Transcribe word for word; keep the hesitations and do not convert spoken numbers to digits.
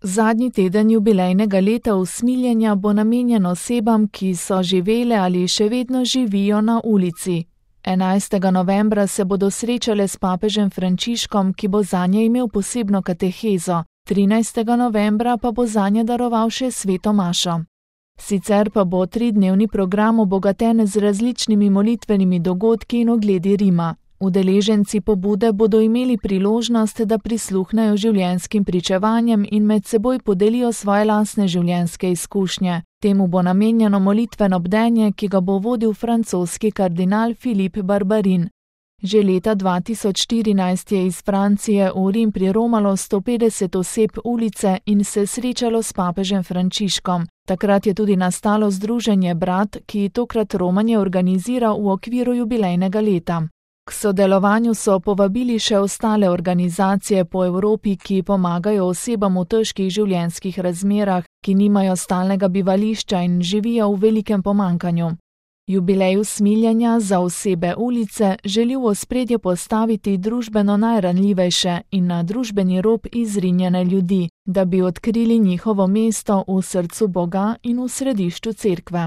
Zadnji teden jubilejnega leta usmiljenja bo namenjen osebam, ki so živele ali še vedno živijo na ulici. enajstega novembra se bodo srečale s papežem Frančiškom, ki bo zanje imel posebno katehezo, trinajstega novembra pa bo zanje daroval še sveto mašo. Sicer pa bo tridnevni program obogaten z različnimi molitvenimi dogodki in ogledi Rima. Udeleženci pobude bodo imeli priložnost, da prisluhnejo življenjskim pričevanjem in med seboj podelijo svoje lastne življenjske izkušnje. Temu bo namenjeno molitveno bdenje, ki ga bo vodil francoski kardinal Filip Barbarin. Že leta dva tisoč štirinajst je iz Francije v Rim priromalo sto petdeset oseb ulice in se srečalo s papežem Frančiškom. Takrat je tudi nastalo združenje Brat, ki tokrat romanje organizira v okviru jubilejnega leta. K sodelovanju so povabili še ostale organizacije po Evropi, ki pomagajo osebam v težkih življenjskih razmerah, ki nimajo stalnega bivališča in živijo v velikem pomanjkanju. Jubilej usmiljenja za osebe ulice želi v ospredje postaviti družbeno najranljivejše in na družbeni rob izrinjene ljudi, da bi odkrili njihovo mesto v srcu Boga in v središču cerkve.